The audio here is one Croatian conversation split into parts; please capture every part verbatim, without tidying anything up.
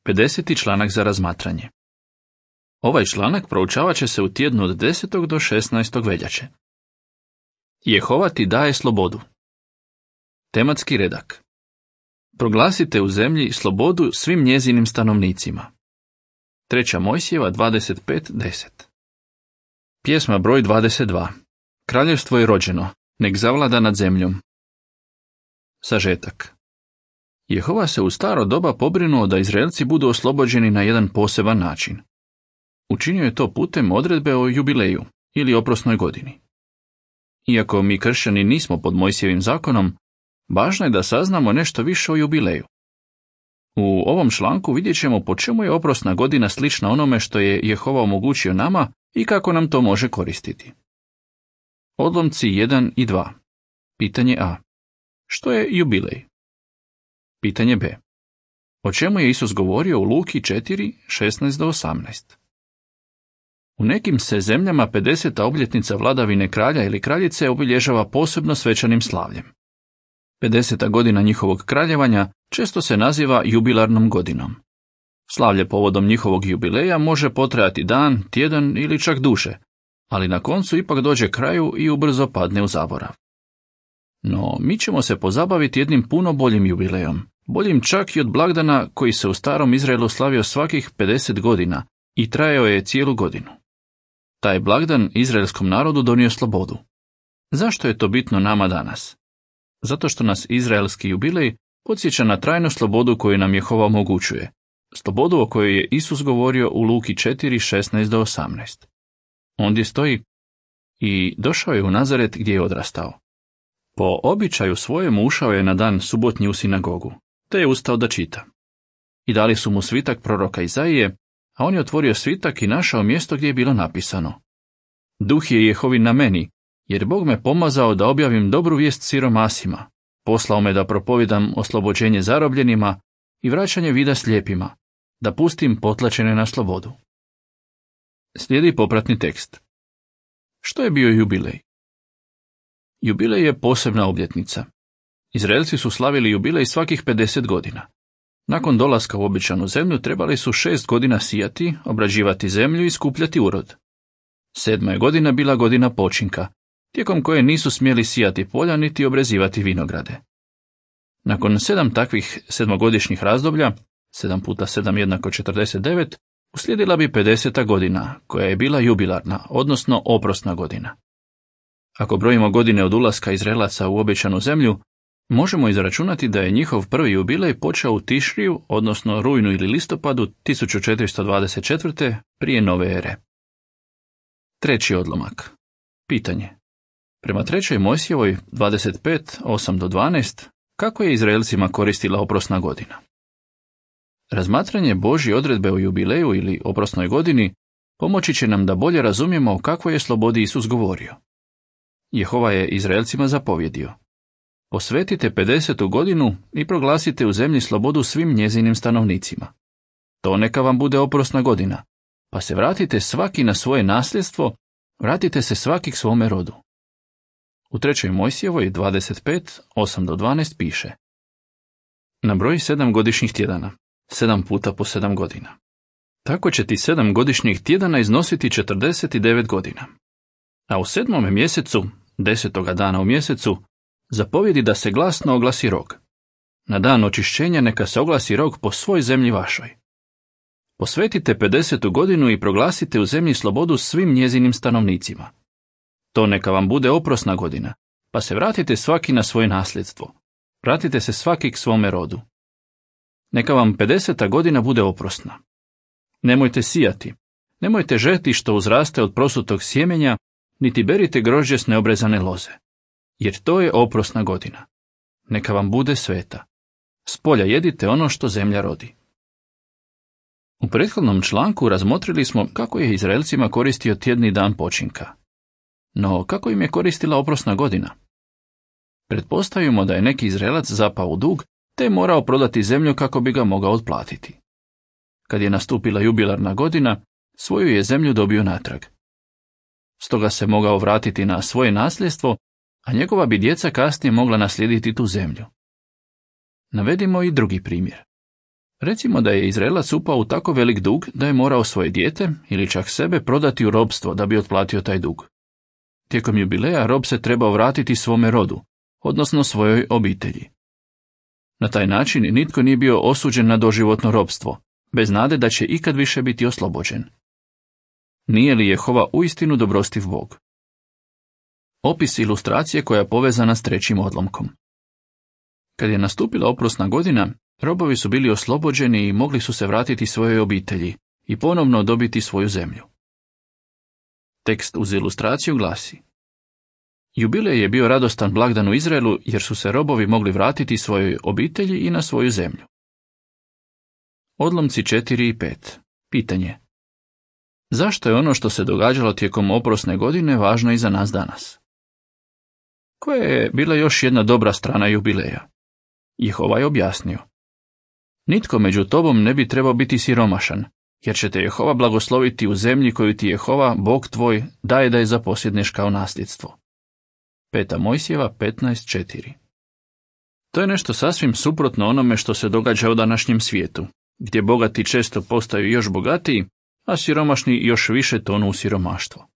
pedeseti članak za razmatranje. Ovaj članak proučavat će se u tjednu od desetog do šesnaestog veljače. Jehova ti daje slobodu. Tematski redak. Proglasite u zemlji slobodu svim njezinim stanovnicima. Treća Mojsijeva dvadeset pet deset. Pjesma broj dvadeset dva. Kraljevstvo je rođeno, nek zavlada nad zemljom. Sažetak. Jehova se u staro doba pobrinuo da Izraelci budu oslobođeni na jedan poseban način. Učinio je to putem odredbe o jubileju ili oprosnoj godini. Iako mi kršćani nismo pod Mojsijevim zakonom, važno je da saznamo nešto više o jubileju. U ovom članku vidjet ćemo po čemu je oprosna godina slična onome što je Jehova omogućio nama i kako nam to može koristiti. Odlomci jedan i dva. Pitanje A. Što je jubilej? Pitanje B. O čemu je Isus govorio u Luki četiri, šesnaest do osamnaest? U nekim se zemljama pedeseta obljetnica vladavine kralja ili kraljice obilježava posebno svečanim slavljem. pedeseta godina njihovog kraljevanja često se naziva jubilarnom godinom. Slavlje povodom njihovog jubileja može potrajati dan, tjedan ili čak duže, ali na koncu ipak dođe kraju i ubrzo padne u zaborav. No, mi ćemo se pozabaviti jednim puno boljim jubilejom, boljim čak i od blagdana koji se u starom Izraelu slavio svakih pedeset godina i trajao je cijelu godinu. Taj blagdan izraelskom narodu donio slobodu. Zašto je to bitno nama danas? Zato što nas izraelski jubilej podsjeća na trajnu slobodu koju nam Jehova omogućuje, slobodu o kojoj je Isus govorio u Luki četiri, šesnaest do osamnaest. Ondje stoji: i došao je u Nazaret gdje je odrastao. Po običaju svojemu ušao je na dan subotnji u sinagogu, te je ustao da čita. I dali su mu svitak proroka Izaije, a on je otvorio svitak i našao mjesto gdje je bilo napisano: Duh je Jehovin na meni, jer Bog me pomazao da objavim dobru vijest siromasima, poslao me da propovijedam oslobođenje zarobljenima i vraćanje vida slijepima, da pustim potlačene na slobodu. Slijedi popratni tekst. Što je bio jubilej? Jubilej je posebna obljetnica. Izraelci su slavili jubilej svakih pedeset godina. Nakon dolaska u obećanu zemlju trebali su šest godina sijati, obrađivati zemlju i skupljati urod. Sedma je godina bila godina počinka, tijekom koje nisu smjeli sijati polja niti obrezivati vinograde. Nakon sedam takvih sedmogodišnjih razdoblja, sedam puta sedam jednako četrdeset devet, uslijedila bi pedeseta godina, koja je bila jubilarna, odnosno oprosna godina. Ako brojimo godine od ulaska Izraelaca u obećanu zemlju, možemo izračunati da je njihov prvi jubilej počeo u Tišriju, odnosno rujnu ili listopadu tisuću četiristo dvadeset četvrte prije nove ere. Treći odlomak. Pitanje. Prema trećoj Mojsijevoj dvadeset pet, osam do dvanaest, kako je Izraelcima koristila oprosna godina? Razmatranje Božje odredbe o jubileju ili oprosnoj godini pomoći će nam da bolje razumijemo o kakvoj je slobodi Isus govorio. Jehova je Izraelcima zapovjedio: posvetite pedesetu godinu i proglasite u zemlji slobodu svim njezinim stanovnicima. To neka vam bude oprosna godina, pa se vratite svaki na svoje nasljedstvo, vratite se svaki k svome rodu. U trećoj Mojsijevoj dvadeset pet, osam do dvanaest piše: nabroji sedam godišnjih tjedana, sedam puta po sedam godina. Tako će ti sedam godišnjih tjedana iznositi četrdeset devet godina. A u sedmome mjesecu, desetoga dana u mjesecu, zapovjedi da se glasno oglasi rog. Na dan očišćenja neka se oglasi rog po svoj zemlji vašoj. Posvetite pedesetu godinu i proglasite u zemlji slobodu svim njezinim stanovnicima. To neka vam bude oprosna godina, pa se vratite svaki na svoje nasljedstvo. Vratite se svaki k svome rodu. Neka vam pedeseta godina bude oprosna. Nemojte sijati, nemojte žeti što uzraste od prosutog sjemenja, niti berite grožđe s neobrezane loze, jer to je oprosna godina. Neka vam bude sveta. S polja jedite ono što zemlja rodi. U prethodnom članku razmotrili smo kako je Izraelcima koristio tjedni dan počinka. No, kako im je koristila oprosna godina? Pretpostavimo da je neki Izraelac zapao u dug, te je morao prodati zemlju kako bi ga mogao otplatiti. Kad je nastupila jubilarna godina, svoju je zemlju dobio natrag. Stoga se mogao vratiti na svoje nasljedstvo, a njegova bi djeca kasnije mogla naslijediti tu zemlju. Navedimo i drugi primjer. Recimo da je Izraelac upao u tako velik dug da je morao svoje dijete ili čak sebe prodati u robstvo da bi otplatio taj dug. Tijekom jubileja rob se trebao vratiti svome rodu, odnosno svojoj obitelji. Na taj način nitko nije bio osuđen na doživotno robstvo, bez nade da će ikad više biti oslobođen. Nije li Jehova uistinu dobrostiv Bog? Opis ilustracije koja je povezana s trećim odlomkom. Kad je nastupila oprosna godina, robovi su bili oslobođeni i mogli su se vratiti svojoj obitelji i ponovno dobiti svoju zemlju. Tekst uz ilustraciju glasi: Jubilej je bio radostan blagdan u Izraelu jer su se robovi mogli vratiti svojoj obitelji i na svoju zemlju. Odlomci četiri i pet. Pitanje: zašto je ono što se događalo tijekom oprosne godine važno i za nas danas? Koja je bila još jedna dobra strana jubileja? Jehova je objasnio: nitko među tobom ne bi trebao biti siromašan, jer će te Jehova blagosloviti u zemlji koju ti Jehova, Bog tvoj, daje da je zaposjedneš kao nasljedstvo. Peta Mojsijeva petnaest četiri. To je nešto sasvim suprotno onome što se događa u današnjem svijetu, gdje bogati često postaju još bogatiji, a siromašni još više tonu u siromaštvo.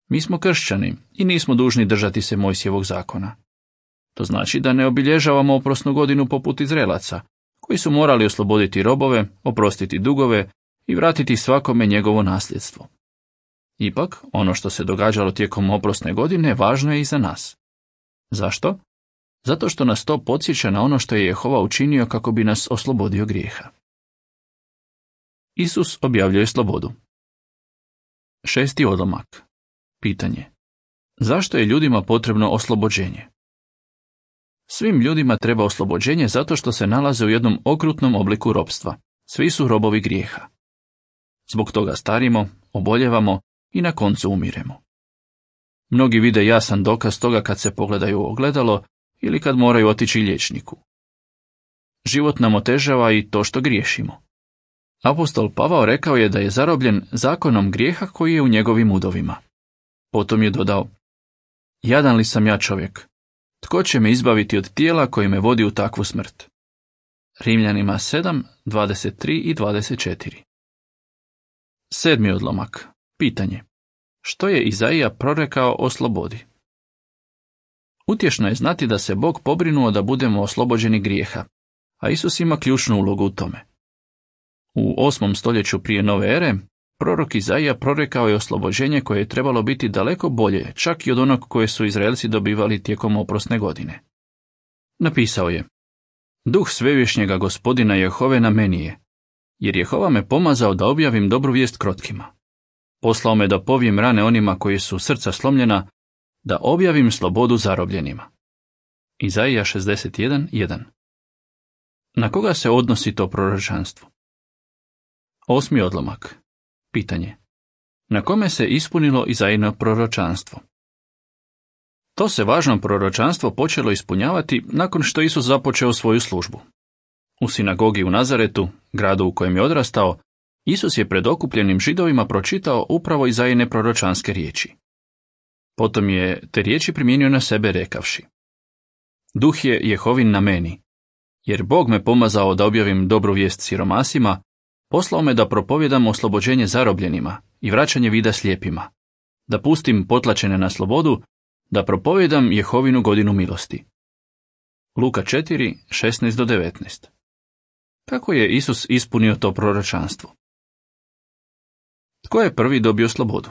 Mi smo kršćani i nismo dužni držati se Mojsijevog zakona. To znači da ne obilježavamo oprosnu godinu poput Izraelaca, koji su morali osloboditi robove, oprostiti dugove i vratiti svakome njegovo nasljedstvo. Ipak, ono što se događalo tijekom oprosne godine važno je i za nas. Zašto? Zato što nas to podsjeća na ono što je Jehova učinio kako bi nas oslobodio grijeha. Isus objavljuje slobodu. Šesti odlomak. Pitanje: zašto je ljudima potrebno oslobođenje? Svim ljudima treba oslobođenje zato što se nalaze u jednom okrutnom obliku ropstva. Svi su robovi grijeha. Zbog toga starimo, oboljevamo i na koncu umiremo. Mnogi vide jasan dokaz toga kad se pogledaju u ogledalo ili kad moraju otići liječniku. Život nam otežava i to što griješimo. Apostol Pavao rekao je da je zarobljen zakonom grijeha koji je u njegovim udovima. Potom je dodao: jadan li sam ja čovjek? Tko će me izbaviti od tijela koji me vodi u takvu smrt? Rimljanima sedam, dvadeset tri i dvadeset četiri. Sedmi odlomak. Pitanje: što je Izaija prorekao o slobodi? Utješno je znati da se Bog pobrinuo da budemo oslobođeni grijeha, a Isus ima ključnu ulogu u tome. U osmom stoljeću prije nove ere, prorok Izaija prorekao je oslobođenje koje je trebalo biti daleko bolje, čak i od onog koje su Izraelci dobivali tijekom oprosne godine. Napisao je: duh svevišnjega Gospodina Jehove na meni je, jer Jehova me pomazao da objavim dobru vijest krotkima. Poslao me da povijem rane onima koji su srca slomljena, da objavim slobodu zarobljenima. Izaija šezdeset jedan jedan. Na koga se odnosi to proročanstvo? Osmi odlomak. Pitanje: na kome se ispunilo Izaijino proročanstvo? To se važno proročanstvo počelo ispunjavati nakon što Isus započeo svoju službu. U sinagogi u Nazaretu, gradu u kojem je odrastao, Isus je pred okupljenim Židovima pročitao upravo Izaijine proročanske riječi. Potom je te riječi primijenio na sebe rekavši: duh je Jehovin na meni, jer Bog me pomazao da objavim dobru vijest siromasima, poslao me da propovjedam oslobođenje zarobljenima i vraćanje vida slijepima, da pustim potlačene na slobodu, da propovjedam Jehovinu godinu milosti. Luka četiri, šesnaest do devetnaest. Kako je Isus ispunio to proročanstvo? Tko je prvi dobio slobodu?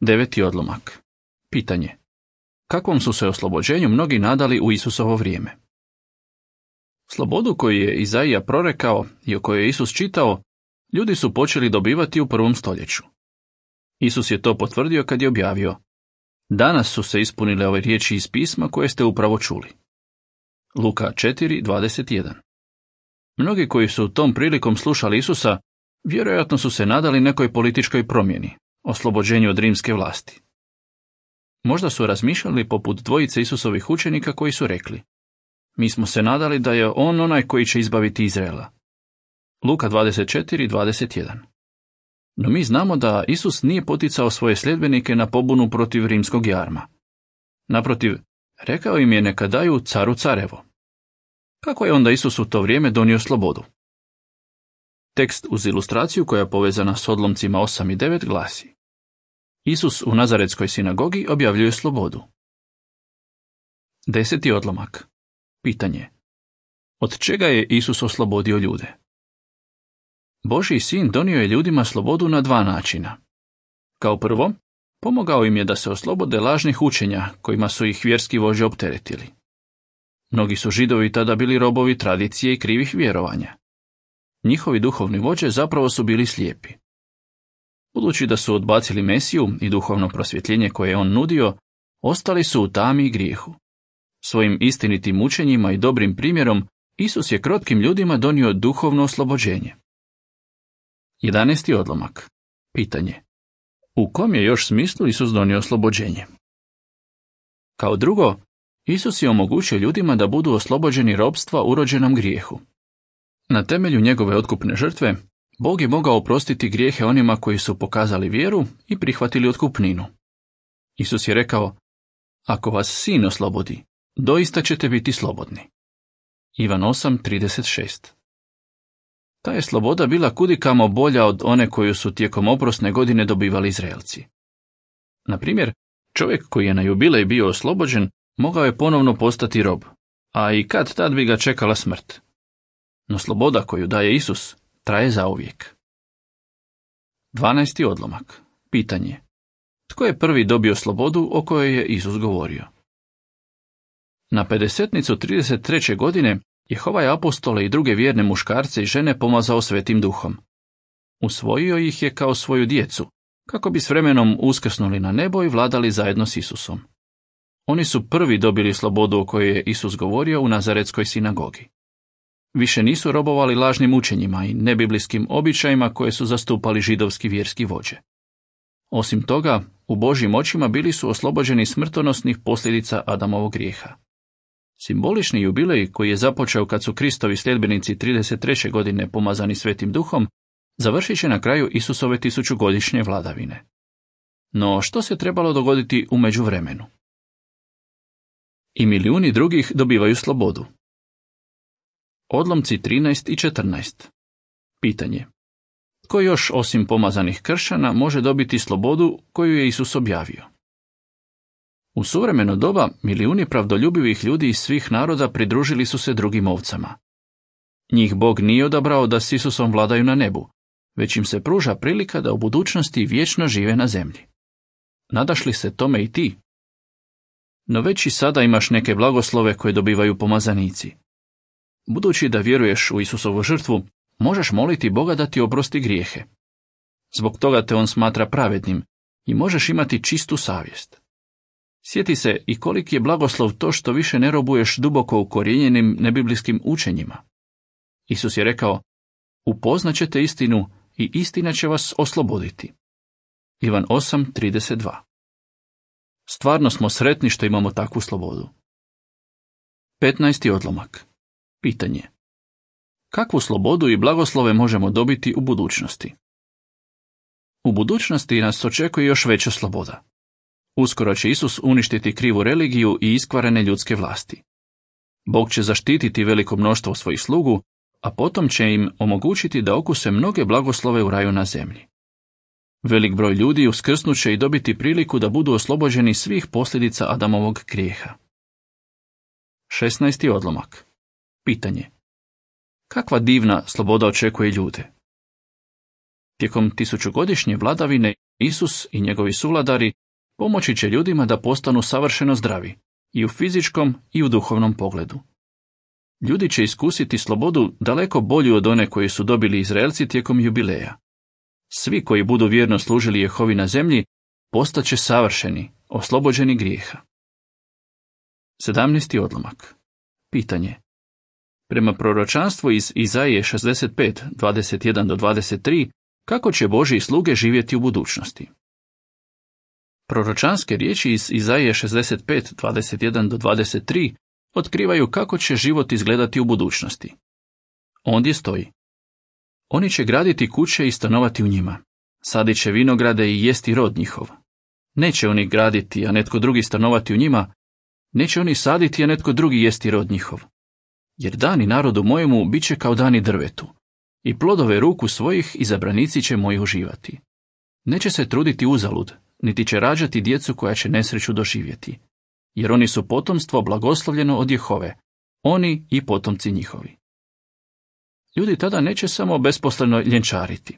Deveti odlomak. Pitanje: kakvom su se oslobođenju mnogi nadali u Isusovo vrijeme? Slobodu koju je Izaija prorekao i o kojoj je Isus čitao, ljudi su počeli dobivati u prvom stoljeću. Isus je to potvrdio kad je objavio: danas su se ispunile ove riječi iz pisma koje ste upravo čuli. Luka četiri, dvadeset jedan. Mnogi koji su tom prilikom slušali Isusa, vjerojatno su se nadali nekoj političkoj promjeni, oslobođenju od rimske vlasti. Možda su razmišljali poput dvojice Isusovih učenika koji su rekli: mi smo se nadali da je on onaj koji će izbaviti Izraela. Luka dvadeset četiri, dvadeset jedan. No mi znamo da Isus nije poticao svoje sljedbenike na pobunu protiv rimskog jarma. Naprotiv, rekao im je neka daju caru carevo. Kako je onda Isus u to vrijeme donio slobodu? Tekst uz ilustraciju koja je povezana s odlomcima osam i devet glasi: Isus u Nazaretskoj sinagogi objavljuje slobodu. Deseti odlomak. Pitanje: od čega je Isus oslobodio ljude? Božji sin donio je ljudima slobodu na dva načina. Kao prvo, pomogao im je da se oslobode lažnih učenja kojima su ih vjerski vođe opteretili. Mnogi su Židovi tada bili robovi tradicije i krivih vjerovanja. Njihovi duhovni vođe zapravo su bili slijepi. Budući da su odbacili Mesiju i duhovno prosvjetljenje koje je on nudio, ostali su u tami i grijehu. Svojim istinitim učenjima i dobrim primjerom Isus je krotkim ljudima donio duhovno oslobođenje. Jedanesti odlomak. Pitanje: u kom je još smislu Isus donio oslobođenje? Kao drugo, Isus je omogućio ljudima da budu oslobođeni ropstva urođenom grijehu. Na temelju njegove otkupne žrtve, Bog je mogao oprostiti grijehe onima koji su pokazali vjeru i prihvatili otkupninu. Isus je rekao: ako vas sin oslobodi, doista ćete biti slobodni. Ivan osam trideset šest. Ta je sloboda bila kudikamo bolja od one koju su tijekom oprosne godine dobivali Izraelci. Na primjer, čovjek koji je na jubilej bio oslobođen mogao je ponovno postati rob, a i kad tad bi ga čekala smrt. No sloboda koju daje Isus traje zauvijek. Dvanaesti odlomak. Pitanje: tko je prvi dobio slobodu o kojoj je Isus govorio? Na pedesetnicu trideset treće godine Jehova je apostole i druge vjerne muškarce i žene pomazao Svetim Duhom. Usvojio ih je kao svoju djecu, kako bi s vremenom uskrsnuli na nebo i vladali zajedno s Isusom. Oni su prvi dobili slobodu o kojoj je Isus govorio u Nazaretskoj sinagogi. Više nisu robovali lažnim učenjima i nebiblijskim običajima koje su zastupali židovski vjerski vođe. Osim toga, u Božjim očima bili su oslobođeni smrtonosnih posljedica Adamovog grijeha. Simbolični jubilej koji je započeo kad su Kristovi sljedbenici trideset treće godine pomazani Svetim Duhom, završit će na kraju Isusove tisućugodišnje vladavine. No što se trebalo dogoditi u međuvremenu? I milijuni drugih dobivaju slobodu. Odlomci trinaest i četrnaest. Pitanje: tko još osim pomazanih kršćana može dobiti slobodu koju je Isus objavio? U suvremeno doba milijuni pravdoljubivih ljudi iz svih naroda pridružili su se drugim ovcama. Njih Bog nije odabrao da s Isusom vladaju na nebu, već im se pruža prilika da u budućnosti vječno žive na zemlji. Nadaš li se tome i ti? No već i sada imaš neke blagoslove koje dobivaju pomazanici. Budući da vjeruješ u Isusovu žrtvu, možeš moliti Boga da ti oprosti grijehe. Zbog toga te on smatra pravednim i možeš imati čistu savjest. Sjeti se i koliki je blagoslov to što više ne robuješ duboko ukorijenjenim nebiblijskim učenjima. Isus je rekao: upoznaćete istinu i istina će vas osloboditi. Ivan osam trideset dva. Stvarno smo sretni što imamo takvu slobodu. petnaesti odlomak. Pitanje: kakvu slobodu i blagoslove možemo dobiti u budućnosti? U budućnosti nas očekuje još veća sloboda. Uskoro će Isus uništiti krivu religiju i iskvarene ljudske vlasti. Bog će zaštititi veliko mnoštvo svojih slugu, a potom će im omogućiti da okuse mnoge blagoslove u raju na zemlji. Velik broj ljudi uskrsnut će i dobiti priliku da budu oslobođeni svih posljedica Adamovog grijeha. šesnaesti odlomak. Pitanje: kakva divna sloboda očekuje ljude? Tijekom tisućugodišnje vladavine Isus i njegovi suvladari pomoći će ljudima da postanu savršeno zdravi, i u fizičkom i u duhovnom pogledu. Ljudi će iskusiti slobodu daleko bolju od one koju su dobili Izraelci tijekom jubileja. Svi koji budu vjerno služili Jehovi na zemlji postaće savršeni, oslobođeni grijeha. sedamnaesti odlomak. Pitanje: prema proročanstvu iz Izaije šezdeset pet, dvadeset jedan do dvadeset tri, kako će Božji sluge živjeti u budućnosti? Proročanske riječi iz Izaije šezdeset pet, dvadeset jedan do dvadeset tri otkrivaju kako će život izgledati u budućnosti. Ondje stoji: oni će graditi kuće i stanovati u njima, sadit će vinograde i jesti rod njihov. Neće oni graditi, a netko drugi stanovati u njima, neće oni saditi, a netko drugi jesti rod njihov. jer dani narodu mojemu bit će kao dani drvetu, i plodove ruku svojih izabranici će moji uživati. Neće se truditi uzalud, niti će rađati djecu koja će nesreću doživjeti, jer oni su potomstvo blagoslovljeno od Jehove, oni i potomci njihovi. Ljudi tada neće samo besposleno ljenčariti.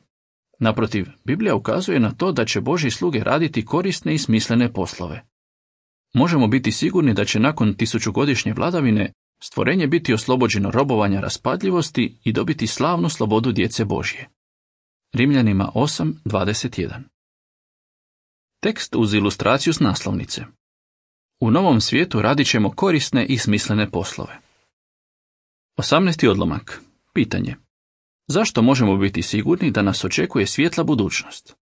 Naprotiv, Biblija ukazuje na to da će Božji sluge raditi korisne i smislene poslove. Možemo biti sigurni da će nakon tisućugodišnje vladavine stvorenje biti oslobođeno robovanja raspadljivosti i dobiti slavnu slobodu djece Božje. Rimljanima osam dvadeset jedan. Tekst uz ilustraciju s naslovnice. U novom svijetu radit ćemo korisne i smislene poslove. osamnaesti odlomak. Pitanje. Zašto možemo biti sigurni da nas očekuje svjetla budućnost?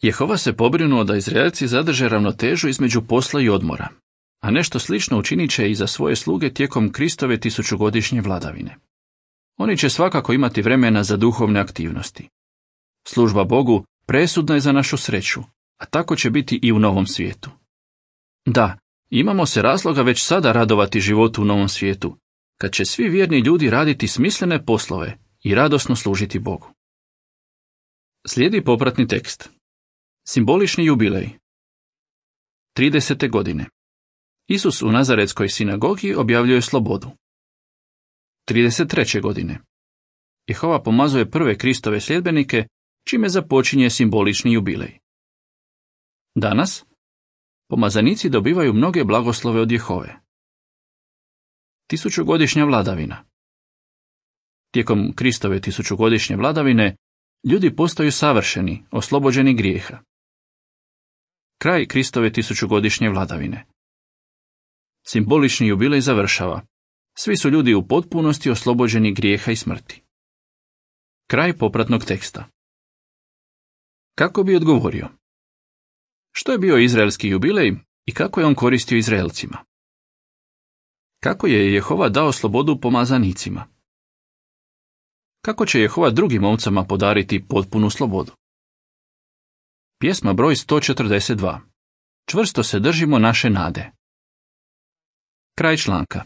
Jehova se pobrinuo da Izraelci zadrže ravnotežu između posla i odmora, a nešto slično učinit će i za svoje sluge tijekom Kristove tisućugodišnje vladavine. Oni će svakako imati vremena za duhovne aktivnosti. Služba Bogu presudna je za našu sreću, a tako će biti i u novom svijetu. Da, imamo se razloga već sada radovati životu u novom svijetu, kad će svi vjerni ljudi raditi smislene poslove i radosno služiti Bogu. Slijedi popratni tekst. Simbolični jubilej. tridesete godine. Isus u Nazaretskoj sinagogi objavljuje slobodu. trideset treće godine. Jehova pomazuje prve Kristove sljedbenike, čime započinje simbolični jubilej. Danas, pomazanici dobivaju mnoge blagoslove od Jehove. Tisućugodišnja vladavina. Tijekom Kristove tisućugodišnje vladavine, ljudi postaju savršeni, oslobođeni grijeha. Kraj Kristove tisućugodišnje vladavine. Simbolični jubilej završava. Svi su ljudi u potpunosti oslobođeni grijeha i smrti. Kraj popratnog teksta. Kako bi odgovorio? Što je bio izraelski jubilej i kako je on koristio Izraelcima? Kako je Jehova dao slobodu pomazanicima? Kako će Jehova drugim ovcama podariti potpunu slobodu? Pjesma broj sto četrdeset dva. Čvrsto se držimo naše nade. Kraj članka.